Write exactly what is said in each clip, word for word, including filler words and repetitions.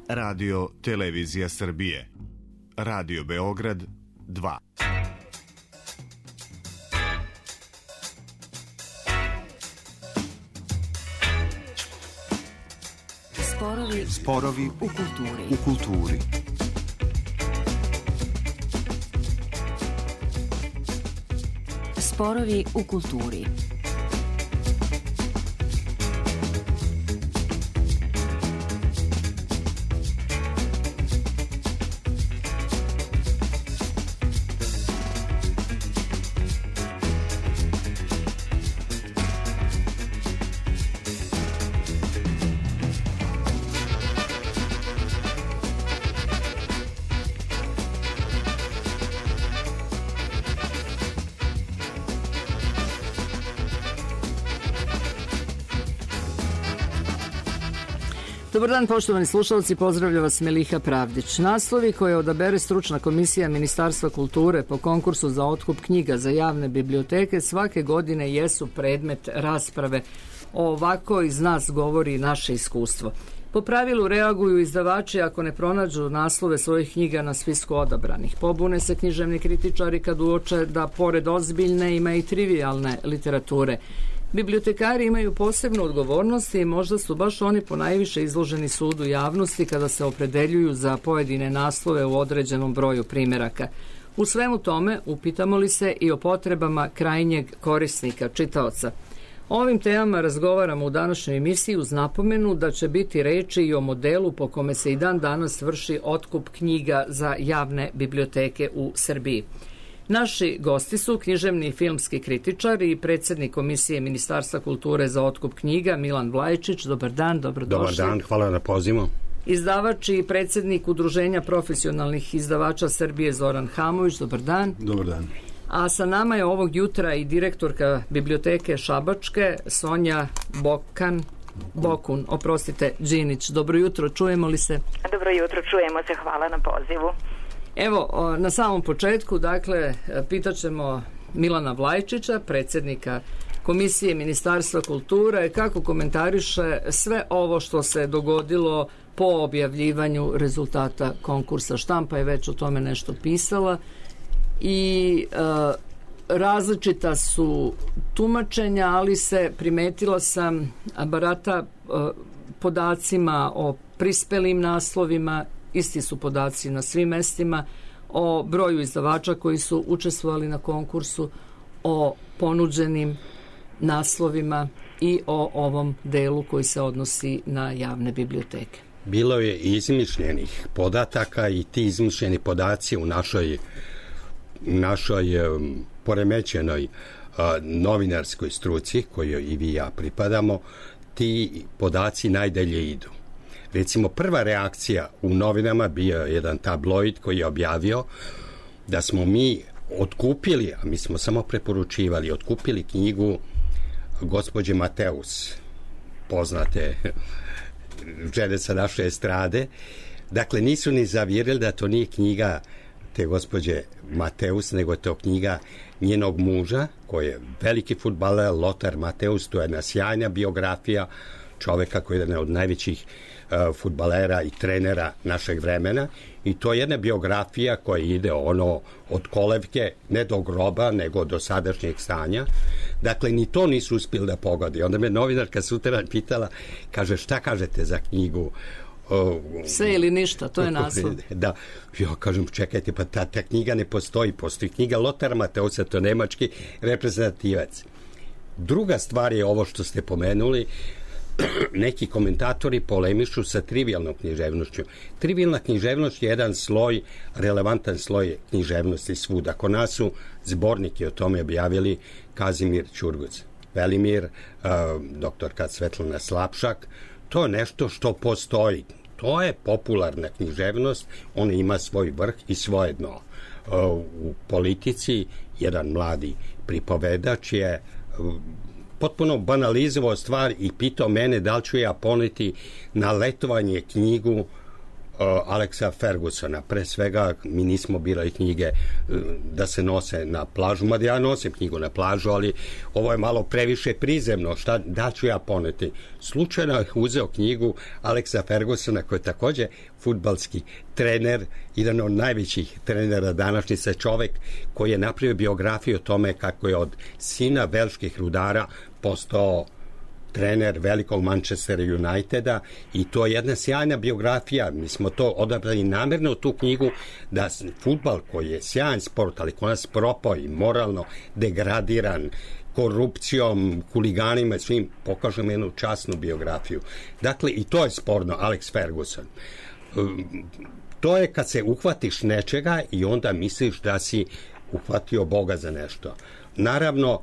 Radio Televizija Srbije. Radio Beograd dva. Sporovi, Sporovi u kulturi. U kulturi. Sporovi u kulturi. Dobar dan, poštovani slušalci, pozdravlja vas Meliha Pravdić. Naslovi koje odabere stručna komisija Ministarstva kulture po konkursu za otkup knjiga za javne biblioteke svake godine jesu predmet rasprave. O ovako iz nas govori naše iskustvo. Po pravilu reaguju izdavači ako ne pronađu naslove svojih knjiga na spisku odabranih. Pobune se književni kritičari kad uoče da pored ozbiljne ima i trivijalne literature. Bibliotekari imaju posebnu odgovornost i možda su baš oni ponajviše izloženi sudu javnosti kada se opredeljuju za pojedine naslove u određenom broju primjeraka. U svemu tome upitamo li se i o potrebama krajnjeg korisnika, čitaoca. O ovim temama razgovaramo u današnjoj emisiji uz napomenu da će biti reči i o modelu po kome se i dan danas vrši otkup knjiga za javne biblioteke u Srbiji. Naši gosti su književni i filmski kritičar i predsjednik Komisije Ministarstva kulture za otkup knjiga Milan Vlajčić. Dobar dan, dobrodošli. Dobar dan, hvala na pozivu. Izdavač i predsjednik Udruženja profesionalnih izdavača Srbije Zoran Hamović. Dobar dan. Dobar dan. A sa nama je ovog jutra i direktorka biblioteke Šabačke Sonja Bokan, Bokun, oprostite, Đinić. Dobro jutro, čujemo li se? Dobro jutro, čujemo se, hvala na pozivu. Evo, na samom početku, dakle, pitaćemo Milana Vlajčića, predsjednika Komisije Ministarstva kulture, kako komentariše sve ovo što se dogodilo po objavljivanju rezultata konkursa. Štampa je već o tome nešto pisala i e, različita su tumačenja, ali se primetila sam barata e, podacima o prispelim naslovima. Isti su podaci na svim mestima o broju izdavača koji su učestvovali na konkursu, o ponuđenim naslovima i o ovom delu koji se odnosi na javne biblioteke. Bilo je izmišljenih podataka i ti izmišljeni podaci u našoj, našoj um, poremećenoj uh, novinarskoj struci kojoj i vi i ja pripadamo, ti podaci najdalje idu. Recimo, prva reakcija u novinama bio je jedan tabloid koji je objavio da smo mi otkupili, a mi smo samo preporučivali, otkupili knjigu gospođe Mateus, poznate žene sa naše estrade. Dakle, nisu ni zavjerili da to nije knjiga te gospođe Mateus, nego je to knjiga njenog muža, koji je veliki fudbaler, Lothar Mateus. To je jedna sjajna biografija čoveka koji je jedan od najvećih uh, fudbalera i trenera našeg vremena, i to je jedna biografija koja ide ono od kolevke, ne do groba, nego do sadašnjeg stanja. Dakle, ni to nisu uspjeli da pogodi. Onda me novinarka sutra pitala, kaže, šta kažete za knjigu? Uh, Sve ili ništa, to je naslov. Da, ja kažem, čekajte, pa ta, ta knjiga ne postoji, postoji knjiga Lothar Mateusa, to nemački reprezentativac. Druga stvar je ovo što ste pomenuli, neki komentatori polemišu sa trivijalnom književnošću. Trivijalna književnost je jedan sloj, relevantan sloj književnosti svuda. Kod nas su zbornike o tome objavili Kazimir Ćurguc, Velimir, uh, doktorka Svetlana Slapšak. To je nešto što postoji. To je popularna književnost, ona ima svoj vrh i svoje dno. Uh, u politici jedan mladi pripovedač je uh, potpuno banalizovao stvar i pitao mene da li ću ja poneti na letovanje knjigu Alexa Fergusona. Pre svega, mi nismo birali knjige da se nose na plažu, mada ja nosim knjigu na plažu, ali ovo je malo previše prizemno. Šta, da ću ja poneti? Slučajno je uzeo knjigu Alexa Fergusona, koji je takođe fudbalski trener, jedan od najvećih trenera današnjice, čovek koji je napravio biografiju o tome kako je od sina velških rudara postao trener velikog Manchester Uniteda, i to je jedna sjajna biografija. Mi smo to odabrali namjerno u tu knjigu, da fudbal, koji je sjajan sport, ali koji nas propao i moralno degradiran korupcijom, huliganima i svim, pokažemo jednu časnu biografiju. Dakle, i to je sporno, Alex Ferguson. To je kad se uhvatiš nečega i onda misliš da si uhvatio Boga za nešto. Naravno,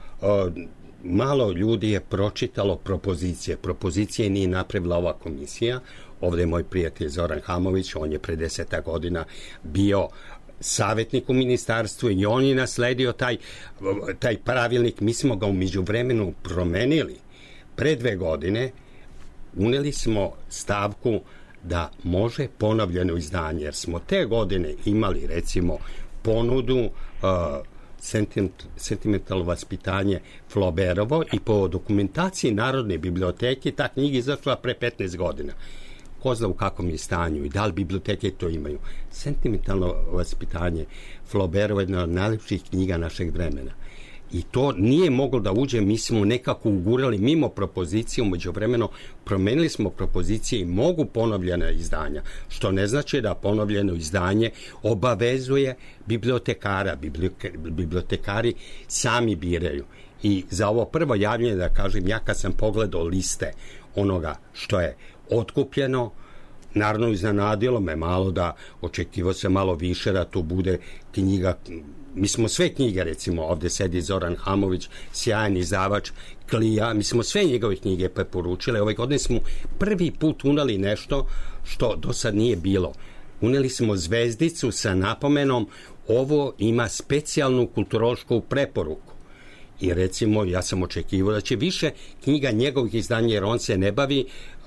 malo ljudi je pročitalo propozicije. Propozicije nije napravila ova komisija. Ovdje je moj prijatelj Zoran Hamović, on je pre deseta godina bio savjetnik u ministarstvu i on je nasledio taj, taj pravilnik. Mi smo ga u međuvremenu promenili. Pre dve godine uneli smo stavku da može ponovljeno izdanje, jer smo te godine imali recimo ponudu uh, sentiment, sentimentalno vaspitanje Flauberovo, i po dokumentaciji Narodne biblioteke ta knjiga izašla pre petnaest godina. Ko zna u kakvom je stanju i da li biblioteke to imaju. Sentimentalno vaspitanje Flauberovo je jedna od najlepših knjiga našeg vremena. I to nije moglo da uđe, mi smo nekako ugurali mimo propozicije, umeđu vremeno promenili smo propozicije i mogu ponovljena izdanja, što ne znači da ponovljeno izdanje obavezuje bibliotekara. Bibliotekari sami biraju. I za ovo prvo javljanje, da kažem, ja kad sam pogledao liste onoga što je otkupljeno, naravno iznenadilo me malo, da očekivao se malo više da to bude knjiga. Mi smo sve knjige, recimo ovdje sedi Zoran Hamović, sjajan izdavač Klija, mi smo sve njegove knjige preporučili. Ove godine smo prvi put uneli nešto što do sad nije bilo. Uneli smo zvezdicu sa napomenom ovo ima specijalnu kulturološku preporuku. I recimo ja sam očekivao da će više knjiga njegovih izdanja, jer on se ne bavi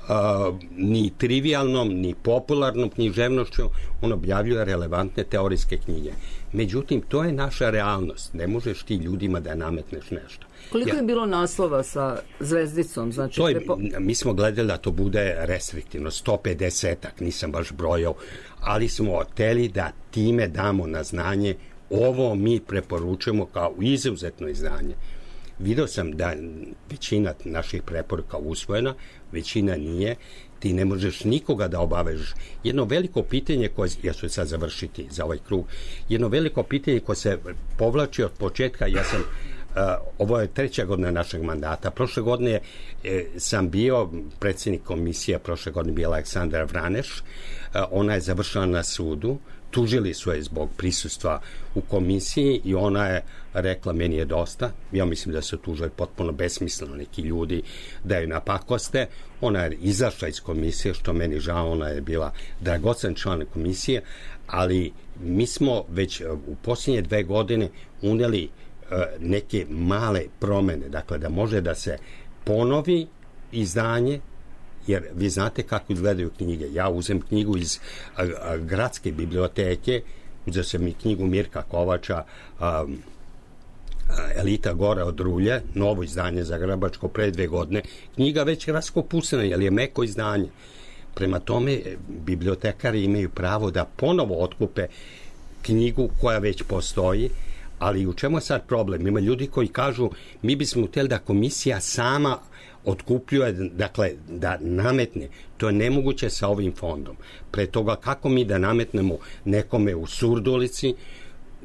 Uh, ni trivialnom, ni popularnom književnošću, on objavljuje relevantne teorijske knjige. Međutim, to je naša realnost. Ne možeš ti ljudima da nametneš nešto. Koliko ja, je bilo naslova sa zvezdicom? Znači, to je, prepo... mi smo gledali da to bude restriktivno, sto pedesetak, nisam baš brojao, ali smo hteli da time damo na znanje ovo mi preporučujemo kao izuzetno izdanje. Vidio sam da većina naših preporuka usvojena, većina nije. Ti ne možeš nikoga da obavežeš. Jedno veliko pitanje koje, ja ću sad završiti za ovaj krug, jedno veliko pitanje koje se povlači od početka, ja sam, uh, ovo je treća godina našeg mandata. Prošle godine e, sam bio predsjednik komisije, prošle godine bio Aleksandra Vraneš, uh, ona je završila na sudu, tužili su je zbog prisustva u komisiji i ona je rekla meni je dosta. Ja mislim da su tužili potpuno besmisleno neki ljudi da ju napakoste. Ona je izašla iz komisije, što meni žao, ona je bila dragocen član komisije, ali mi smo već u posljednje dve godine uneli uh, neke male promene, dakle da može da se ponovi izdanje, jer vi znate kako izgledaju knjige. Ja uzem knjigu iz a, a, gradske biblioteke, uzeo sam i knjigu Mirka Kovača, a, a, Elita Gora od Rulje, novo izdanje za Grabačko pre dve godine. Knjiga već raskopusena, jer je meko izdanje. Prema tome, bibliotekari imaju pravo da ponovo otkupe knjigu koja već postoji, ali u čemu je sad problem? Ima ljudi koji kažu, mi bismo htjeli da komisija sama otkupljuje, dakle, da nametne. To je nemoguće sa ovim fondom. Pre toga, kako mi da nametnemo nekome u Surdulici,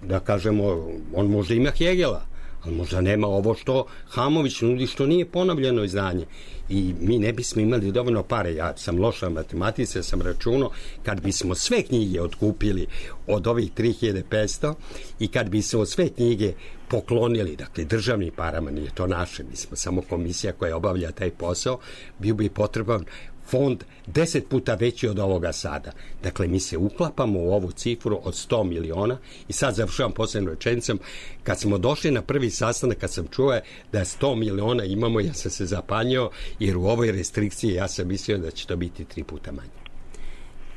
da kažemo, on možda ima Hegela, ali možda nema ovo što Hamović nudi, što nije ponovljeno izdanje. I mi ne bismo imali dovoljno pare. Ja sam loša matematice, sam računao, kad bismo sve knjige otkupili od ovih tri hiljade petsto i kad bismo sve knjige poklonili, dakle državnim parama, nije to naše, mi smo samo komisija koja obavlja taj posao, bio bi potreban fond deset puta veći od ovoga sada. Dakle, mi se uklapamo u ovu cifru od sto miliona i sad završavam posljednom rečenicom. Kad smo došli na prvi sastanak, kad sam čuo da sto miliona imamo, ja sam se zapanjio, jer u ovoj restrikciji ja sam mislio da će to biti tri puta manje.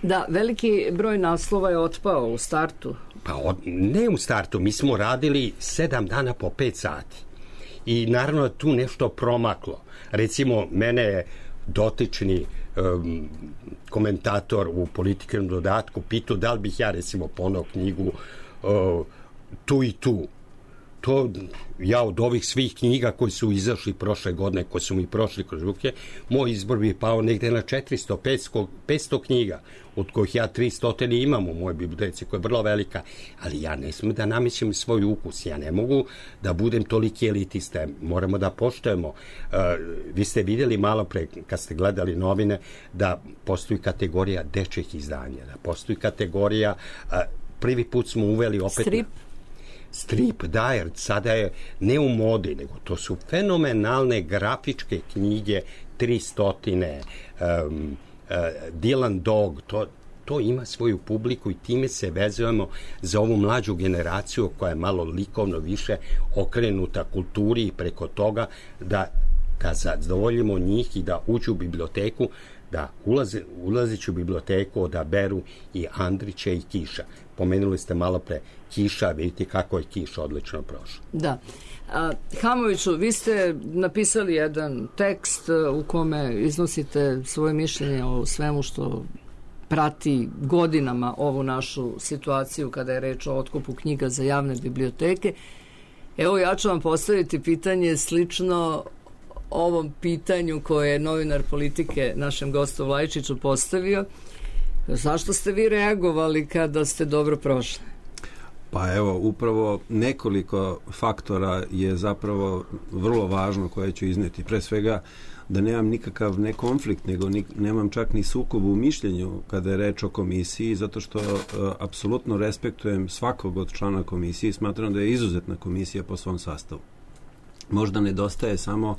Da, veliki broj naslova je otpao u startu. Pa od, ne u startu, mi smo radili sedam dana po pet sati. I naravno tu nešto promaklo. Recimo, mene je dotični um, komentator u Političkom dodatku pitao da li bih ja recimo ponao knjigu uh, Tu i tu. To ja od ovih svih knjiga koji su izašli prošle godine, koji su mi prošli kroz ruke, moj izbor bi pao negde na četiristo do petsto knjiga, od kojih ja tristo imam u mojoj biblioteci, koja je vrlo velika, ali ja ne smijem da namećem svoj ukus, ja ne mogu da budem toliki elitista, moramo da poštujemo. Uh, vi ste vidjeli malo pre, kad ste gledali novine, da postoji kategorija dečjih izdanja, da postoji kategorija, uh, prvi put smo uveli opet... Strip? Strip, da, jer sada je ne u modi, nego to su fenomenalne grafičke knjige, tri stotine, um, uh, Dylan Dog, to, to ima svoju publiku i time se vezujemo za ovu mlađu generaciju koja je malo likovno više okrenuta kulturi i preko toga da, da zadovoljimo njih i da uđu u biblioteku, da ulaze, ulazeći u biblioteku odaberu i Andrića i Kiša. Pomenuli ste malo pre Kiša, vidite kako je Kiš odlično prošao. Da. A, Hamoviću, vi ste napisali jedan tekst u kome iznosite svoje mišljenje o svemu što prati godinama ovu našu situaciju kada je reč o otkupu knjiga za javne biblioteke. Evo, ja ću vam postaviti pitanje slično ovom pitanju koje je novinar Politike našem gostu Vlajčiću postavio. Zašto ste vi reagovali kada ste dobro prošli? Pa evo, upravo nekoliko faktora je zapravo vrlo važno koje ću izneti. Pre svega da nemam nikakav ne konflikt, nego ni, nemam čak ni sukob u mišljenju kada je reč o komisiji, zato što uh, apsolutno respektujem svakog od člana komisije i smatram da je izuzetna komisija po svom sastavu. Možda nedostaje samo,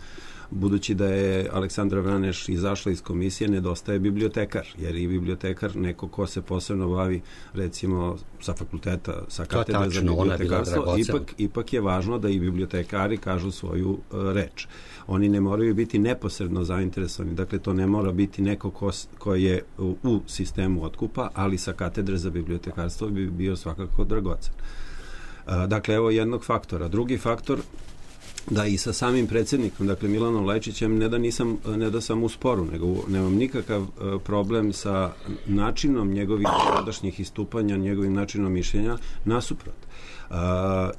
budući da je Aleksandra Vraneš izašla iz komisije, nedostaje bibliotekar, jer i bibliotekar neko ko se posebno bavi recimo sa fakulteta, sa katedre za bibliotekarstvo, ipak, ipak je važno da i bibliotekari kažu svoju uh, reč. Oni ne moraju biti neposredno zainteresovani, dakle to ne mora biti neko ko, ko je u, u sistemu otkupa, ali sa katedre za bibliotekarstvo bi bio svakako dragocen. Uh, dakle, evo jednog faktora. Drugi faktor, da i sa samim predsjednikom, dakle Milanom Lajčićem, ne da nisam, ne da sam u sporu, nego nemam nikakav uh, problem sa načinom njegovih sadašnjih istupanja, njegovim načinom mišljenja, nasuprot. Uh,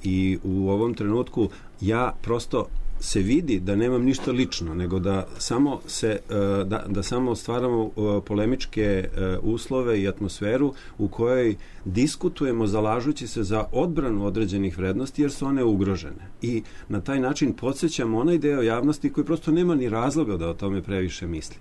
I u ovom trenutku ja prosto se vidi da nemam ništa lično, nego da samo se da, da samo stvaramo polemičke uslove i atmosferu u kojoj diskutujemo zalažući se za odbranu određenih vrednosti jer su one ugrožene. I na taj način podsjećamo onaj deo javnosti koji prosto nema ni razloga da o tome previše misli.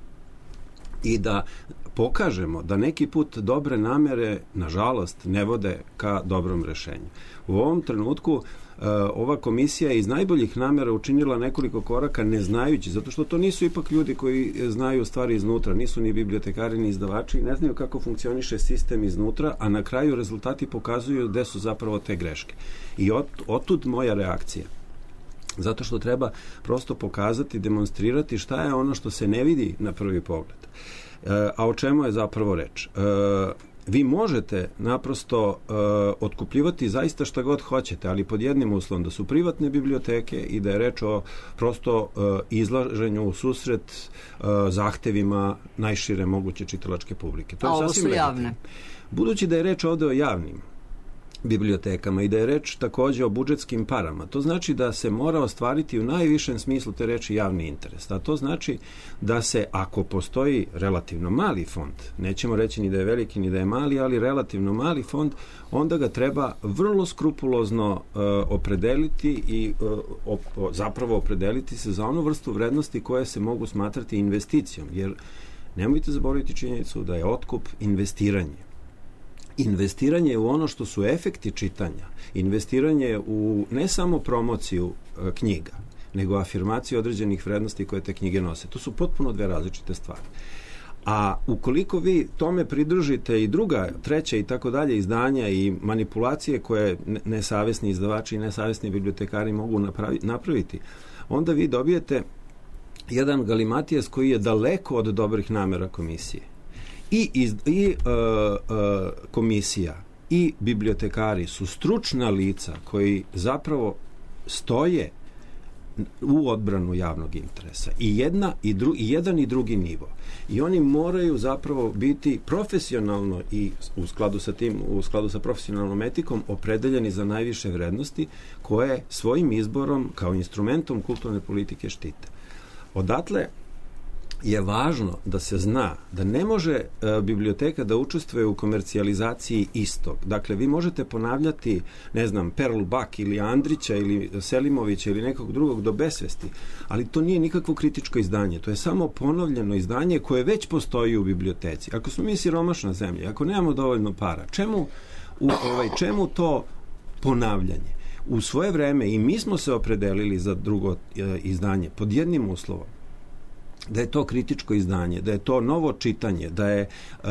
I da pokažemo da neki put dobre namere, nažalost, ne vode ka dobrom rešenju. U ovom trenutku Uh, ova komisija je iz najboljih namera učinila nekoliko koraka ne znajući, zato što to nisu ipak ljudi koji znaju stvari iznutra, nisu ni bibliotekari ni izdavači, ne znaju kako funkcioniše sistem iznutra, a na kraju rezultati pokazuju gde su zapravo te greške. I od, otud moja reakcija. Zato što treba prosto pokazati, demonstrirati šta je ono što se ne vidi na prvi pogled. Uh, a o čemu je zapravo reč? Uh, Vi možete naprosto uh, otkupljivati zaista šta god hoćete, ali pod jednim uslovom da su privatne biblioteke i da je reč o prosto uh, izlaženju u susret uh, zahtevima najšire moguće čitalačke publike. To A je ovo sasvim su javne. legitimno. Budući da je reč ovde o javnim bibliotekama i da je reč takođe o budžetskim parama, to znači da se mora ostvariti u najvišem smislu te reči javni interes. A to znači da se, ako postoji relativno mali fond, nećemo reći ni da je veliki ni da je mali, ali relativno mali fond, onda ga treba vrlo skrupulozno uh, opredeliti i uh, op, zapravo opredeliti se za onu vrstu vrednosti koje se mogu smatrati investicijom, jer nemojte zaboraviti činjenicu da je otkup investiranje. Investiranje u ono što su efekti čitanja, investiranje u ne samo promociju e, knjiga, nego afirmaciju određenih vrednosti koje te knjige nose. To su potpuno dve različite stvari. A ukoliko vi tome pridružite i druga, treća i tako dalje izdanja i manipulacije koje nesavesni izdavači i nesavesni bibliotekari mogu napravi, napraviti, onda vi dobijete jedan galimatijes koji je daleko od dobrih namera komisije. i, iz, i uh, uh, komisija i bibliotekari su stručna lica koji zapravo stoje u odbranu javnog interesa. I, jedna, i, dru, i jedan i drugi nivo. I oni moraju zapravo biti profesionalno i u skladu sa tim, u skladu sa profesionalnom etikom opredeljeni za najviše vrednosti koje svojim izborom kao instrumentom kulturne politike štite. Odatle je važno da se zna da ne može e, biblioteka da učestvuje u komercijalizaciji istog. Dakle, vi možete ponavljati, ne znam, Perlu Bak ili Andrića ili Selimovića ili nekog drugog do besvesti, ali to nije nikakvo kritičko izdanje. To je samo ponovljeno izdanje koje već postoji u biblioteci. Ako smo mi siromašna zemlja, ako nemamo dovoljno para, čemu, u, ovaj, čemu to ponavljanje? U svoje vreme i mi smo se opredelili za drugo e, izdanje pod jednim uslovom, da je to kritičko izdanje, da je to novo čitanje, da je uh,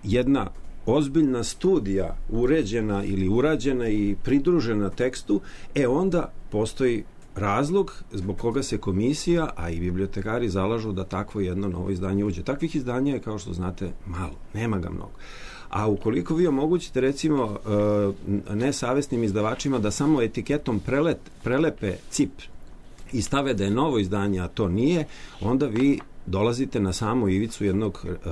jedna ozbiljna studija uređena ili urađena i pridružena tekstu, e onda postoji razlog zbog koga se komisija, a i bibliotekari zalažu da takvo jedno novo izdanje uđe. Takvih izdanja je, kao što znate, malo. Nema ga mnogo. A ukoliko vi omogućite, recimo, uh, nesavesnim izdavačima da samo etiketom prelet, prelepe cip i stave da je novo izdanje, a to nije, onda vi dolazite na samu ivicu jednog uh,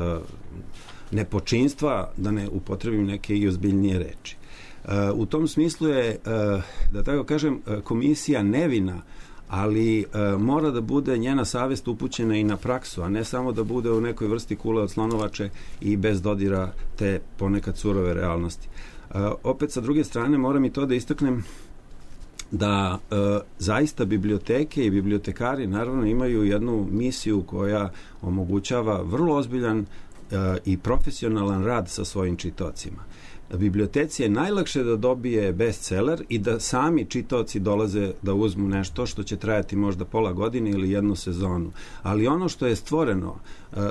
nepočinstva, da ne upotrebim neke i ozbiljnije reči. Uh, u tom smislu je, uh, da tako kažem, komisija nevina, ali uh, mora da bude njena savest upućena i na praksu, a ne samo da bude u nekoj vrsti kule od slonovače i bez dodira te ponekad surove realnosti. Uh, opet, sa druge strane, moram i to da istaknem da e, zaista biblioteke i bibliotekari naravno imaju jednu misiju koja omogućava vrlo ozbiljan e, i profesionalan rad sa svojim čitaocima. Biblioteci je najlakše da dobije bestseller i da sami čitaoci dolaze da uzmu nešto što će trajati možda pola godine ili jednu sezonu. Ali ono što je stvoreno,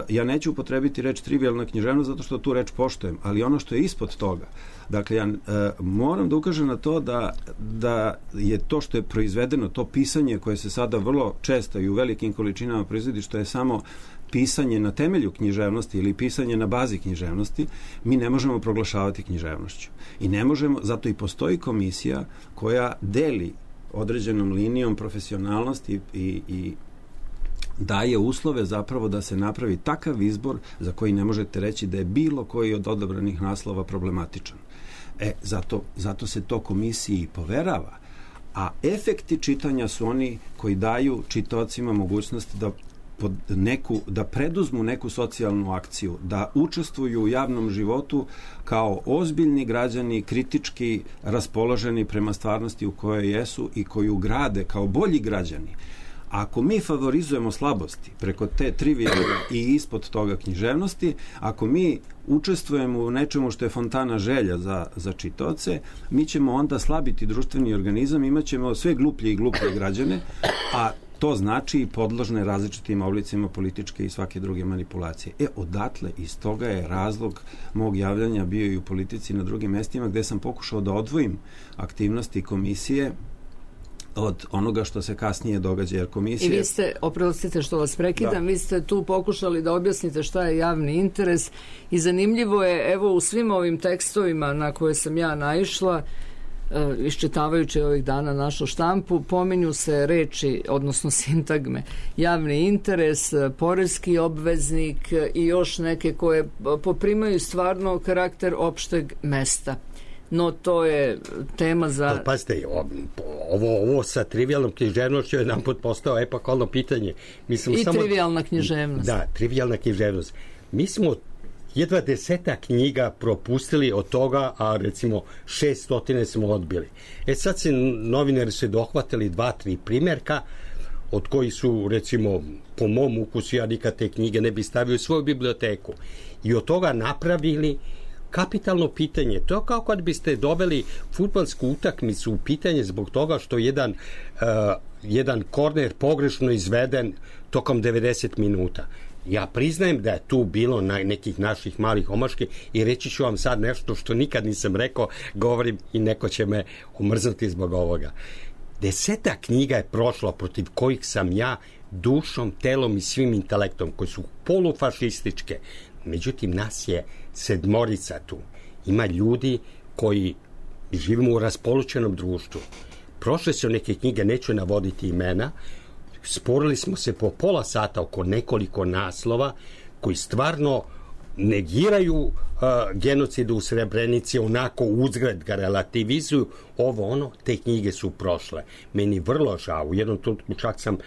ja neću upotrebiti reč trivijalna književnost zato što tu reč poštujem, ali ono što je ispod toga, dakle ja moram da ukažem na to da, da je to što je proizvedeno, to pisanje koje se sada vrlo često i u velikim količinama proizvodi, što je samo pisanje na temelju književnosti ili pisanje na bazi književnosti, mi ne možemo proglašavati književnošću. I ne možemo, zato i postoji komisija koja deli određenom linijom profesionalnosti i, i, i daje uslove zapravo da se napravi takav izbor za koji ne možete reći da je bilo koji od odabranih naslova problematičan. E, zato, zato se to komisiji i poverava. A efekti čitanja su oni koji daju čitaocima mogućnost da pod neku, da preduzmu neku socijalnu akciju, da učestvuju u javnom životu kao ozbiljni građani, kritički raspoloženi prema stvarnosti u kojoj jesu i koju grade kao bolji građani. Ako mi favorizujemo slabosti preko te trivijalne i ispod toga književnosti, ako mi učestvujemo u nečemu što je fontana želja za, za čitaoce, mi ćemo onda slabiti društveni organizam, imat ćemo sve gluplje i gluplje građane, a to znači i podložne različitim oblicima političke i svake druge manipulacije. E, odatle, iz toga je razlog mog javljanja bio i u politici na drugim mestima, gde sam pokušao da odvojim aktivnosti komisije od onoga što se kasnije događa, jer komisija... I vi ste, oprostite što vas prekidam, da. Vi ste tu pokušali da objasnite šta je javni interes i zanimljivo je, evo, u svim ovim tekstovima na koje sam ja naišla, iščitavajući ovih dana našu štampu, pominju se reči, odnosno sintagme, javni interes, poreski obveznik i još neke koje poprimaju stvarno karakter opšteg mesta. No, to je tema za... Ali, pazite, ovo, ovo sa trivijalnom književnošću je nam postao epohalno pitanje. Mi smo I samo... trivijalna književnost. Da, trivijalna književnost. Mi smo jedva deseta knjiga propustili od toga, a recimo šeststotine smo odbili. E sad se novinari se dohvatili dva, tri primjerka, od koji su, recimo, po mom ukusu, ja nikad te knjige ne bi stavio u svoju biblioteku. I od toga napravili kapitalno pitanje. To je kao kad biste doveli fudbalsku utakmicu u pitanje zbog toga što jedan, uh, jedan korner pogrešno izveden tokom devedeset minuta. Ja priznajem da je tu bilo na nekih naših malih omaški i reći ću vam sad nešto što nikad nisam rekao, govorim i neko će me omrznuti zbog ovoga. Deseta knjiga je prošla protiv kojih sam ja dušom, telom i svim intelektom, koji su polufašističke, Međutim, nas je sedmorica tu. Ima ljudi koji živimo u raspolućenom društvu. Prošle su neke knjige, neću navoditi imena, sporili smo se po pola sata oko nekoliko naslova koji stvarno negiraju uh, genocid u Srebrenici, onako uzgred ga relativizuju, ovo ono, te knjige su prošle. Meni vrlo žao, u jednom trenutku čak sam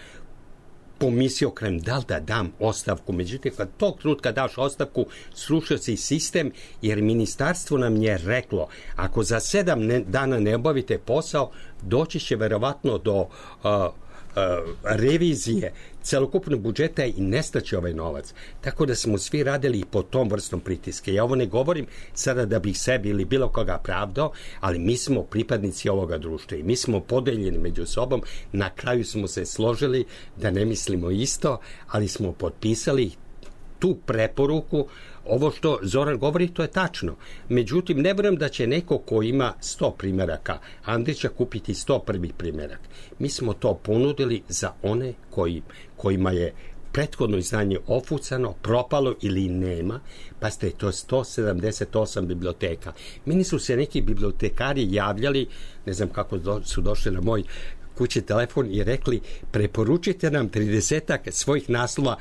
pomislio krem da li da dam ostavku, međutim kad tog trenutka daš ostavku srušio se i sistem, jer ministarstvo nam je reklo ako za sedam ne, dana ne obavite posao, doći će verovatno do uh, uh, revizije celokupnog budžeta i nestaće ovaj novac. Tako da smo svi radili po tom vrstom pritiske. Ja ovo ne govorim sada da bih sebi ili bilo koga pravdao, ali mi smo pripadnici ovoga društva i mi smo podeljeni među sobom. Na kraju smo se složili da ne mislimo isto, ali smo potpisali tu preporuku. Ovo što Zoran govori, to je tačno. Međutim, ne vjerujem da će neko ko ima sto primjeraka Andrića kupiti sto prvi primjerak. Mi smo to ponudili za one koji, kojima je prethodno izdanje ofucano, propalo ili nema. Pa ste, to je sto sedamdeset osam biblioteka. Meni su se neki bibliotekari javljali, ne znam kako do, su došli na moj kući telefon i rekli preporučite nam tridesetak svojih naslova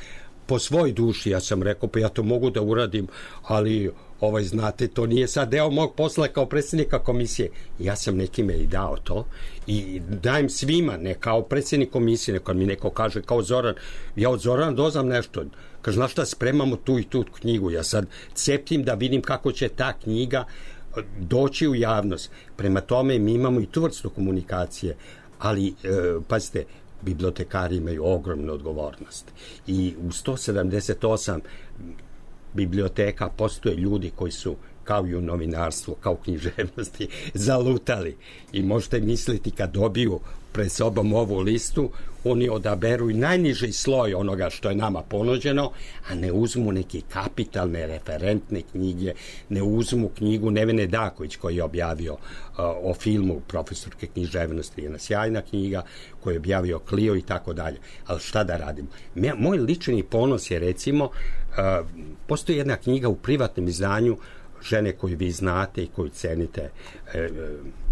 po svoj duši. Ja sam rekao, pa ja to mogu da uradim, ali ovaj, znate, to nije sad deo mog posla kao predsjednika komisije. Ja sam nekime i dao to i dajem svima, ne kao predsjednik komisije, neko mi neko kaže kao Zoran, ja od Zorana doznam nešto, kaže, znaš šta, spremamo tu i tu knjigu, ja sad ceptim da vidim kako će ta knjiga doći u javnost. Prema tome mi imamo i tu vrstu komunikacije, ali e, pazite, bibliotekari imaju ogromnu odgovornost i u sto sedamdeset osam biblioteka postoje ljudi koji su kao i u novinarstvu, kao u književnosti zalutali i možete misliti kad dobiju pred sobom ovu listu, oni odaberu i najniži sloj onoga što je nama ponuđeno, a ne uzmu neke kapitalne referentne knjige, ne uzmu knjigu Nevene Daković koji je objavio uh, o filmu profesorke književnosti, jedna sjajna knjiga koju je objavio Clio i tako dalje. Ali šta da radim? Moj lični ponos je recimo, uh, postoji jedna knjiga u privatnom izdanju žene koju vi znate i koju cenite, e,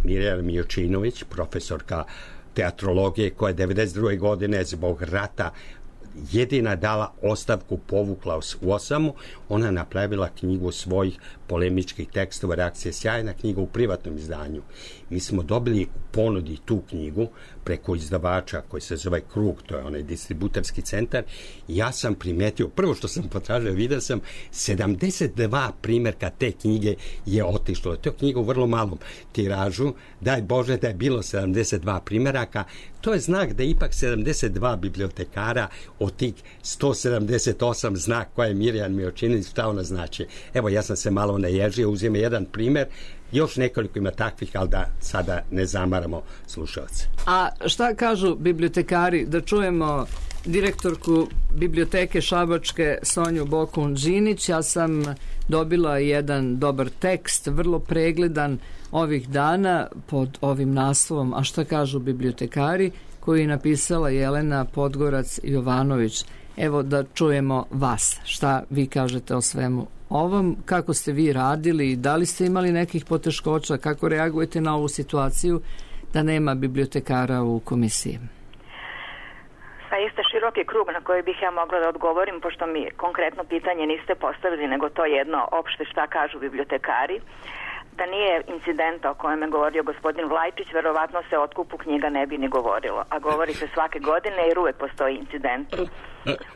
Mirjana Mijočinović, profesorka teatrologije koja je devedeset druge godine zbog rata jedina dala ostavku, povukla u osamu. Ona napravila knjigu svojih polemičkih tekstova, reakcije, sjajna knjiga u privatnom izdanju. Mi smo dobili u ponudi tu knjigu preko izdavača koji se zove Krug, to je onaj distributerski centar. Ja sam primetio, prvo što sam potražio, vidio sam sedamdeset dva primjerka te knjige je otišlo. To je knjiga u vrlo malom tiražu. Daj Bože da je bilo sedamdeset dva primjeraka. To je znak da ipak sedamdeset dva bibliotekara od tih sto sedamdeset osam znak koja je Mirjan Mijočinović, šta ona znači. Evo, ja sam se malo naježio, uzime jedan primjer, još nekoliko ima takvih, ali da sada ne zamaramo slušalce. A šta kažu bibliotekari? Da čujemo direktorku biblioteke Šabačke Sonju Bokun-Đinić. Ja sam dobila jedan dobar tekst, vrlo pregledan ovih dana pod ovim naslovom A šta kažu bibliotekari, koji je napisala Jelena Podgorac-Jovanović. Evo da čujemo vas. Šta vi kažete o svemu ovom? Kako ste vi radili? Da li ste imali nekih poteškoća? Kako reagujete na ovu situaciju da nema bibliotekara u komisiji? Zaista široki krug na koji bih ja mogla da odgovorim, pošto mi konkretno pitanje niste postavili, nego to jedno opšte šta kažu bibliotekari. Da nije incidenta o kojem je govorio gospodin Vlajčić, verovatno se o otkupu knjiga ne bi ni govorilo. A govori se svake godine jer uvek postoji incident.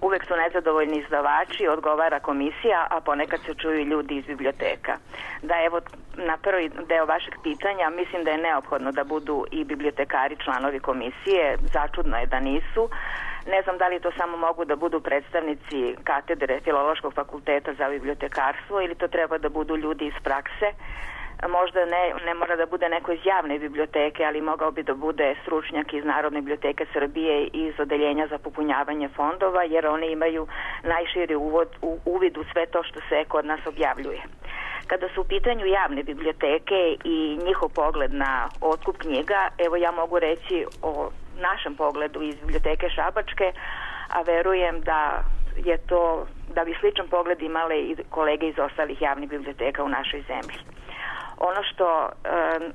Uvek su nezadovoljni izdavači, odgovara komisija, a ponekad se čuju ljudi iz biblioteka. Da, evo, na prvi deo vašeg pitanja, mislim da je neophodno da budu i bibliotekari članovi komisije. Začudno je da nisu. Ne znam da li to samo mogu da budu predstavnici katedre Filološkog fakulteta za bibliotekarstvo ili to treba da budu ljudi iz prakse. Možda ne, ne mora da bude neko iz javne biblioteke, ali mogao bi da bude stručnjak iz Narodne biblioteke Srbije i iz odeljenja za popunjavanje fondova, jer oni imaju najširi uvod, u, uvid u sve to što se kod nas objavljuje. Kada su u pitanju javne biblioteke i njihov pogled na otkup knjiga, evo ja mogu reći o našem pogledu iz biblioteke Šabačke, a verujem da je to da bi sličan pogled imale i kolege iz ostalih javnih biblioteka u našoj zemlji. Ono što e,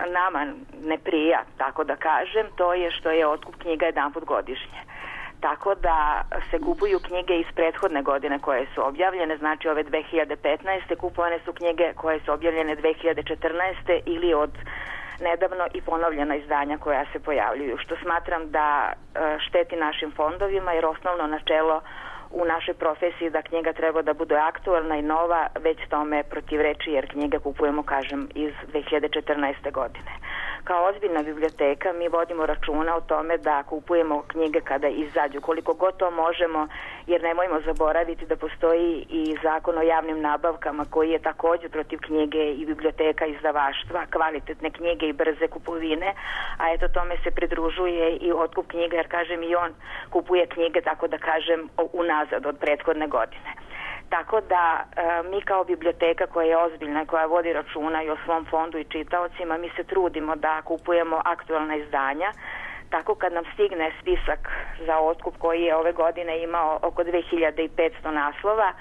nama ne prija, tako da kažem, to je što je otkup knjiga jedanput godišnje. Tako da se kupuju knjige iz prethodne godine koje su objavljene, znači ove dve hiljade petnaeste. Kupovane su knjige koje su objavljene dve hiljade četrnaeste. ili od nedavno i ponovljena izdanja koja se pojavljuju, što smatram da šteti našim fondovima, jer osnovno načelo u našoj profesiji da knjiga treba da bude aktualna i nova, već tome protivreči, jer knjige kupujemo, kažem, iz dve hiljade četrnaeste. godine. Kao ozbiljna biblioteka mi vodimo računa o tome da kupujemo knjige kada izađu, koliko god to možemo, jer nemojmo zaboraviti da postoji i zakon o javnim nabavkama koji je također protiv knjige i biblioteka izdavaštva, kvalitetne knjige i brze kupovine, a eto tome se pridružuje i otkup knjiga, jer kažem i on kupuje knjige, tako da kažem, unazad od prethodne godine. Tako da e, mi kao biblioteka koja je ozbiljna i koja vodi računa i o svom fondu i čitaocima, mi se trudimo da kupujemo aktualna izdanja. Tako kad nam stigne spisak za otkup koji je ove godine imao oko dve hiljade petsto naslova,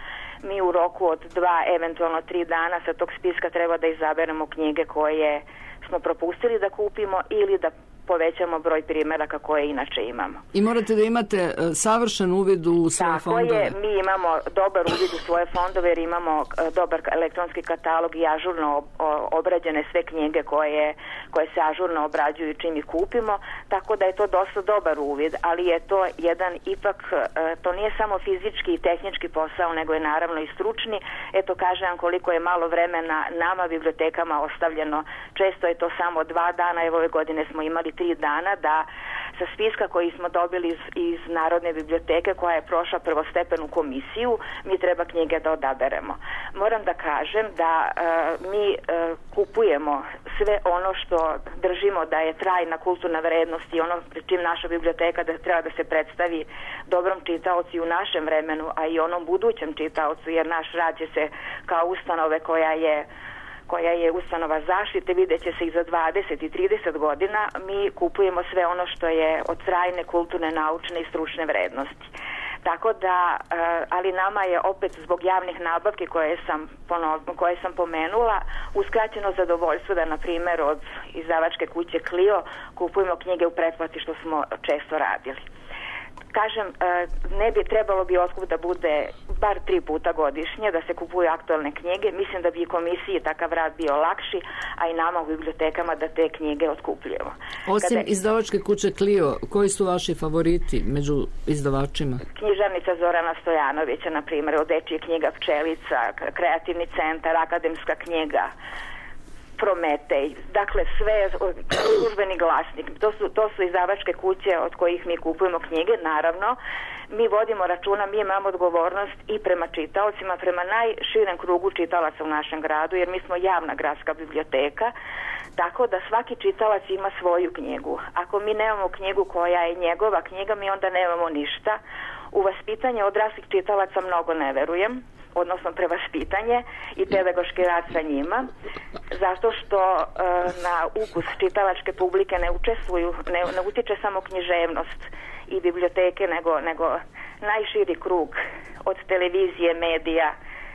mi u roku od dva, eventualno tri dana sa tog spiska treba da izaberemo knjige koje smo propustili da kupimo ili da povećamo broj primjeraka koje inače imamo. I morate da imate uh, savršen uvid u svoje Tako fondove. Tako je, mi imamo dobar uvid u svoje fondove jer imamo uh, dobar elektronski katalog i ažurno ob, o, obrađene sve knjige koje, koje se ažurno obrađuju čim ih kupimo, tako da je to dosta dobar uvid, ali je to jedan ipak, uh, to nije samo fizički i tehnički posao, nego je naravno i stručni. Eto kažem koliko je malo vremena nama bibliotekama ostavljeno, često je to samo dva dana, evo ove godine smo imali tri dana da sa spiska koji smo dobili iz, iz Narodne biblioteke koja je prošla prvostepenu komisiju, mi treba knjige da odaberemo. Moram da kažem da e, mi e, kupujemo sve ono što držimo da je trajna kulturna vrednost i ono čim naša biblioteka da treba da se predstavi dobrom čitaocu u našem vremenu, a i onom budućem čitaocu, jer naš rad će se kao ustanove koja je koja je ustanova zaštite, vidjet će se i za dvadeset i trideset godina, mi kupujemo sve ono što je od trajne, kulturne, naučne i stručne vrednosti. Tako da, ali nama je opet zbog javnih nabavki koje sam, ponov, koje sam pomenula, uskraćeno zadovoljstvo da, na primjer, od izdavačke kuće Clio kupujemo knjige u pretplati, što smo često radili. Kažem, ne bi trebalo bi otkup da bude bar tri puta godišnje, da se kupuju aktualne knjige. Mislim da bi i komisiji takav rad bio lakši, a i nama u bibliotekama da te knjige otkupljujemo. Osim Kada... izdavačke kuće Clio, koji su vaši favoriti među izdavačima? Knjižarnica Zorana Stojanovića, na primjer, od dečije knjiga Pčelica, Kreativni centar, Akademska knjiga, Prometej, dakle sve, službeni glasnik, to su, to su izdavačke kuće od kojih mi kupujemo knjige. Naravno, mi vodimo računa, mi imamo odgovornost i prema čitaocima, prema najširem krugu čitalaca u našem gradu, jer mi smo javna gradska biblioteka, tako da svaki čitalac ima svoju knjigu. Ako mi nemamo knjigu koja je njegova knjiga, mi onda nemamo ništa. U vaspitanje odraslih čitalaca mnogo ne verujem, odnosno prevaspitanje i pedagoški rad sa njima, zato što e, na ukus čitalačke publike ne učestvuju, ne, ne utiče samo književnost i biblioteke, nego, nego najširi krug od televizije, medija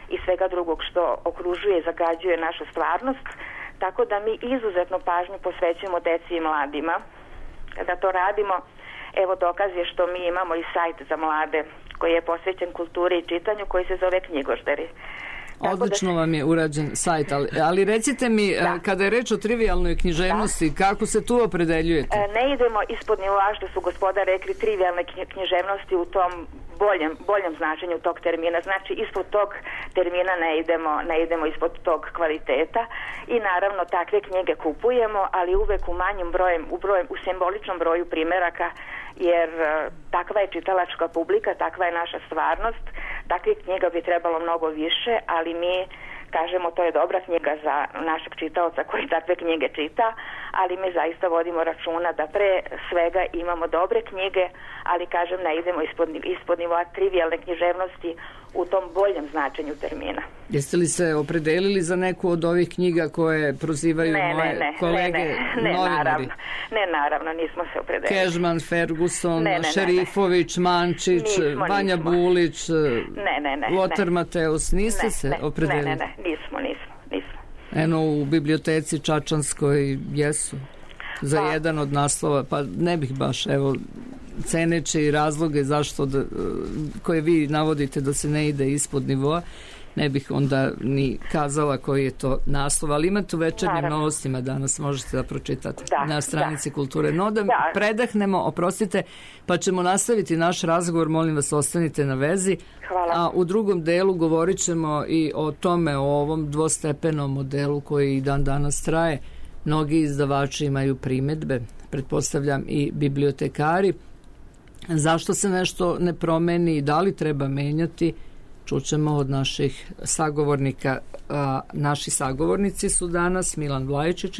i svega drugog što okružuje i zagađuje našu stvarnost, tako da mi izuzetno pažnju posvećujemo deci i mladima. Da to radimo, evo dokaz je što mi imamo i sajt za mlade koji je posvećen kulturi i čitanju, koji se zove Knjigožderi. Tako Odlično da... vam je urađen sajt, ali, ali recite mi, da. Kada je reč o trivijalnoj književnosti, da. Kako se tu opredeljujete? E, ne idemo ispod nivoa, što su gospoda rekli, trivijalne književnosti u tom boljem, boljem značenju tog termina. Znači, ispod tog termina ne idemo, ne idemo ispod tog kvaliteta i naravno takve knjige kupujemo, ali uvek u manjim brojem, u, brojem, u simboličnom broju primjeraka, jer uh, takva je čitalačka publika, takva je naša stvarnost. Takvih knjiga bi trebalo mnogo više, ali mi kažemo to je dobra knjiga za našeg čitaoca koji takve knjige čita, ali mi zaista vodimo računa da pre svega imamo dobre knjige, ali kažem ne idemo ispod, ispod nivoa trivijalne književnosti u tom boljem značenju termina. Jeste li se opredelili za neku od ovih knjiga koje prozivaju ne, moje ne, ne, kolege ne, ne, ne, novinari? naravno, ne, naravno, nismo se opredelili. Kežman, Ferguson, ne, ne, ne, Šerifović, Mančić, nismo, Vanja nismo. Bulić, ne, ne, ne, Lothar ne. Mateus, niste ne, se ne, opredelili? Ne, ne, ne, nismo, nismo, nismo. Eno, u biblioteci Čačanskoj jesu za pa. jedan od naslova, pa ne bih baš, evo, ceneći razloge zašto da, koje vi navodite da se ne ide ispod nivoa, ne bih onda ni kazala koji je to naslov, ali imate u Večernjim Naravno. novostima danas, možete da pročitate Da, na stranici da. Kulture. No da, Da. predahnemo, oprostite, pa ćemo nastaviti naš razgovor, molim vas ostanite na vezi. Hvala. A u drugom delu govorit ćemo i o tome, o ovom dvostepenom modelu koji i dan danas traje. Mnogi izdavači imaju primedbe, pretpostavljam i bibliotekari. Zašto se nešto ne promeni i da li treba menjati, čućemo od naših sagovornika. A, naši sagovornici su danas Milan Vlajičić,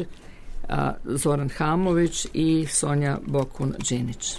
a, Zoran Hamović i Sonja Bokun-Đinić.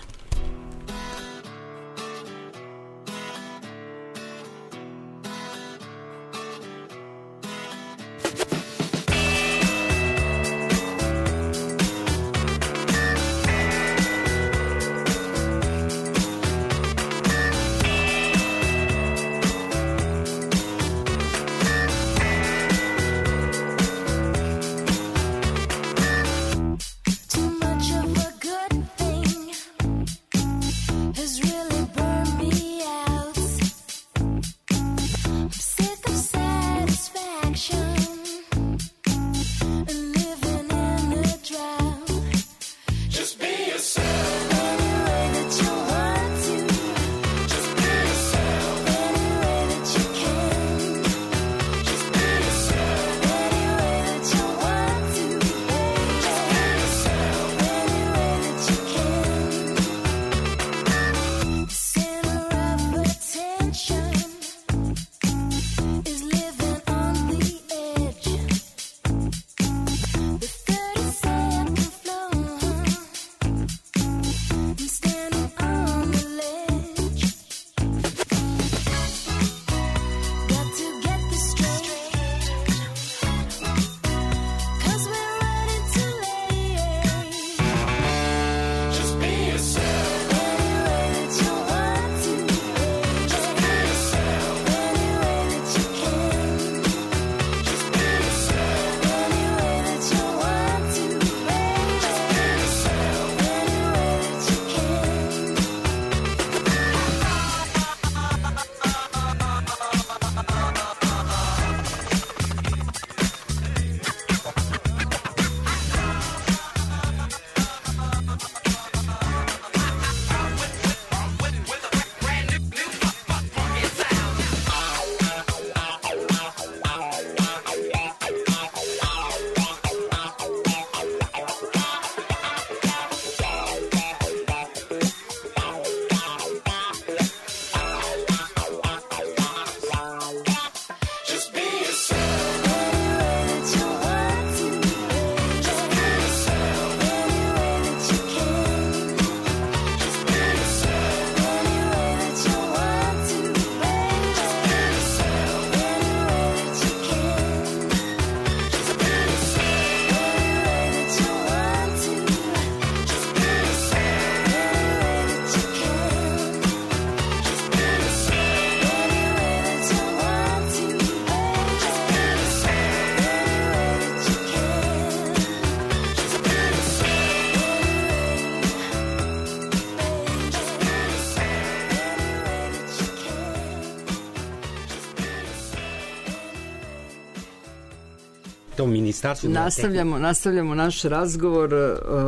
Nastavljamo, nastavljamo naš razgovor.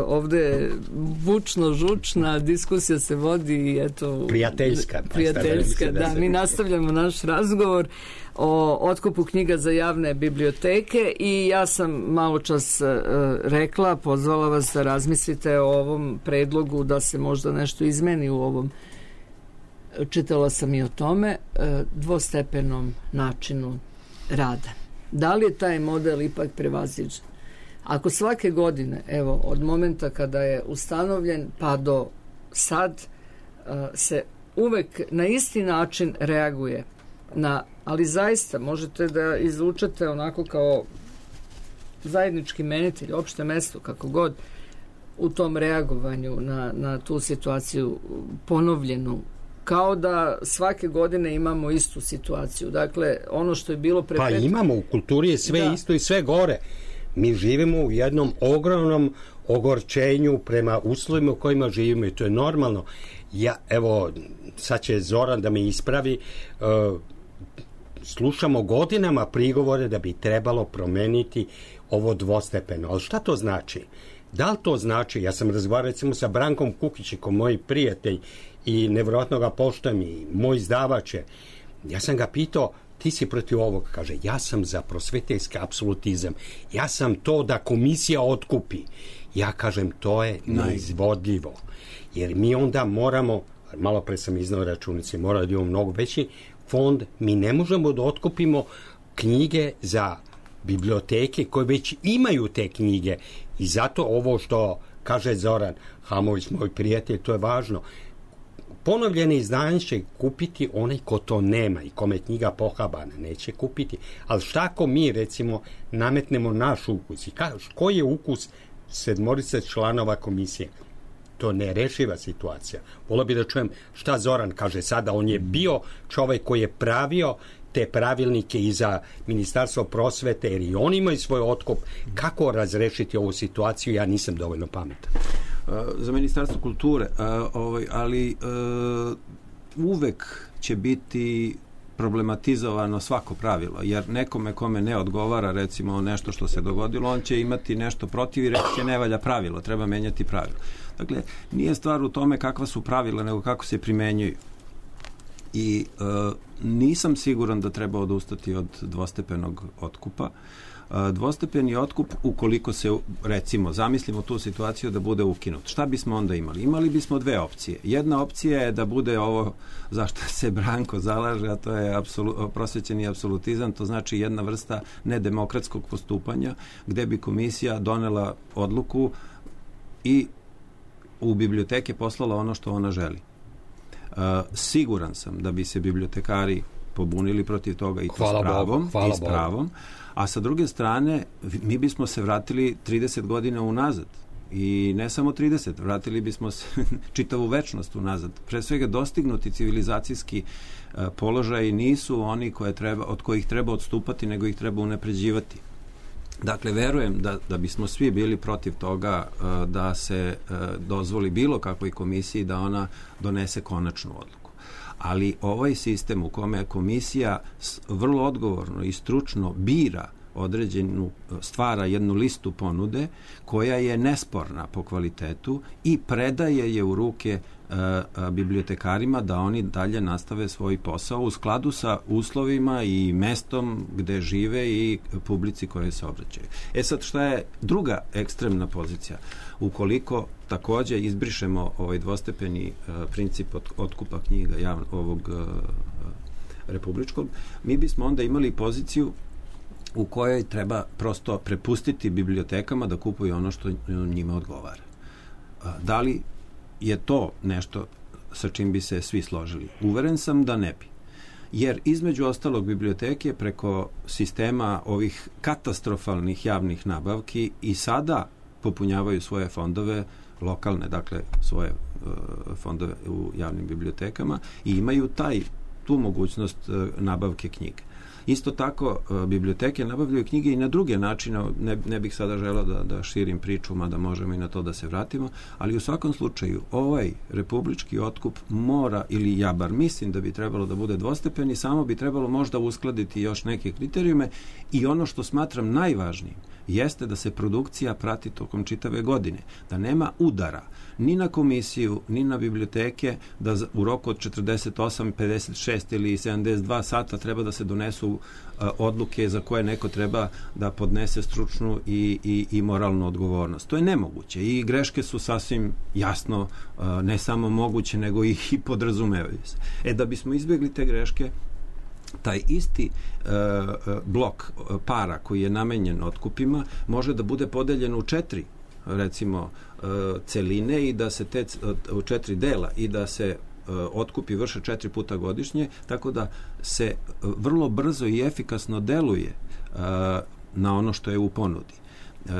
Ovde je bučno žučna diskusija se vodi i eto prijateljska, prijateljska, da, da mi nastavljamo naš razgovor o otkupu knjiga za javne biblioteke i ja sam malo čas uh, rekla, pozvala vas da razmislite o ovom predlogu da se možda nešto izmeni u ovom, čitala sam i o tome, uh, dvostepenom načinu rada. Da li je taj model ipak prevaziđen? Ako svake godine, evo, od momenta kada je ustanovljen pa do sad, uh, se uvek na isti način reaguje na, ali zaista možete da izvučete onako kao zajednički menitelj, opšte mesto, kako god, u tom reagovanju na, na tu situaciju ponovljenu, kao da svake godine imamo istu situaciju. Dakle, ono što je bilo pre pa pet... imamo, u kulturi je sve da. isto i sve gore. Mi živimo u jednom ogromnom ogorčenju prema uslovima u kojima živimo i to je normalno. Ja, evo, sad će Zoran da me ispravi, uh, slušamo godinama prigovore da bi trebalo promeniti ovo dvostepeno. Ali šta to znači? Da li to znači, ja sam razgovarao recimo sa Brankom Kukićikom, moj prijatelj i nevjerojatno ga poštujem i moj izdavač je, ja sam ga pitao, ti si protiv ovog, kaže, ja sam za prosveteljski apsolutizam, ja sam to da komisija otkupi. Ja kažem, to je neizvodljivo, jer mi onda moramo, malo pre sam iznao računice, mora da imamo mnogo veći fond, mi ne možemo da otkupimo knjige za biblioteke koje već imaju te knjige i zato ovo što kaže Zoran Hamović, moj prijatelj, to je važno. Ponovljene izdanje će kupiti onaj ko to nema i kome knjiga pohabana, neće kupiti. Ali šta ako mi, recimo, nametnemo naš ukus i kažeš, koji je ukus sedmorice članova komisije? To ne rešiva situacija. Volio bi da čujem šta Zoran kaže sada. On je bio čovjek koji je pravio te pravilnike i za Ministarstvo prosvete, jer i oni imaju svoj otkup. Kako razrešiti ovu situaciju? Ja nisam dovoljno pametan. Za Ministarstvo kulture, ali uvek će biti problematizovano svako pravilo, jer nekome kome ne odgovara recimo nešto što se dogodilo, on će imati nešto protiv i reći će ne valja pravilo, treba menjati pravilo. Dakle, nije stvar u tome kakva su pravila, nego kako se primenjuju. I e, nisam siguran da treba odustati od dvostepenog otkupa. E, dvostepeni otkup, ukoliko se, recimo, zamislimo tu situaciju da bude ukinut. Šta bismo onda imali? Imali bismo dve opcije. Jedna opcija je da bude ovo zašto se Branko zalaže, a to je apsolu, prosvećeni apsolutizam, to znači jedna vrsta nedemokratskog postupanja, gde bi komisija donela odluku i u biblioteke poslala ono što ona želi. Uh, siguran sam da bi se bibliotekari pobunili protiv toga i to hvala s pravom, Bogu, hvala i s pravom. A sa druge strane, mi bismo se vratili trideset godina unazad. I ne samo trideset, vratili bismo se čitavu večnost unazad. Pre svega dostignuti civilizacijski uh, položaj nisu oni koje treba, od kojih treba odstupati, nego ih treba unapređivati. Dakle, verujem da, da bismo svi bili protiv toga uh, da se uh, dozvoli bilo kakvoj komisiji da ona donese konačnu odluku. Ali ovaj sistem u kome komisija vrlo odgovorno i stručno bira određenu, stvara jednu listu ponude koja je nesporna po kvalitetu i predaje je u ruke uh, uh, bibliotekarima da oni dalje nastave svoj posao u skladu sa uslovima i mestom gde žive i publici koje se obraćaju. E sad, šta je druga ekstremna pozicija? Ukoliko takođe izbrišemo ovaj dvostepeni uh, princip od, otkupa knjiga javno, ovog uh, republičkog, mi bismo onda imali poziciju u kojoj treba prosto prepustiti bibliotekama da kupuju ono što njima odgovara. Da li je to nešto sa čim bi se svi složili? Uveren sam da ne bi. Jer između ostalog biblioteke preko sistema ovih katastrofalnih javnih nabavki i sada popunjavaju svoje fondove lokalne, dakle svoje uh, fondove u javnim bibliotekama i imaju taj, tu mogućnost uh, nabavke knjiga. Isto tako, biblioteke nabavljaju knjige i na druge načine, ne, ne bih sada želeo da, da širim priču, mada možemo i na to da se vratimo, ali u svakom slučaju ovaj republički otkup mora, ili ja bar mislim da bi trebalo da bude dvostepeni, samo bi trebalo možda uskladiti još neke kriterijume i ono što smatram najvažnijim jeste da se produkcija prati tokom čitave godine, da nema udara ni na komisiju, ni na biblioteke, da u roku od četrdeset osam, pedeset šest ili sedamdeset dva sata treba da se donesu uh, odluke za koje neko treba da podnese stručnu i, i, i moralnu odgovornost. To je nemoguće i greške su sasvim jasno uh, ne samo moguće, nego i, i podrazumevaju se. E, da bismo izbjegli te greške, taj isti uh, blok uh, para koji je namenjen otkupima može da bude podeljen u četiri recimo uh, celine i da se te u četiri dela i da se otkupi vrše četiri puta godišnje, tako da se vrlo brzo i efikasno deluje na ono što je u ponudi.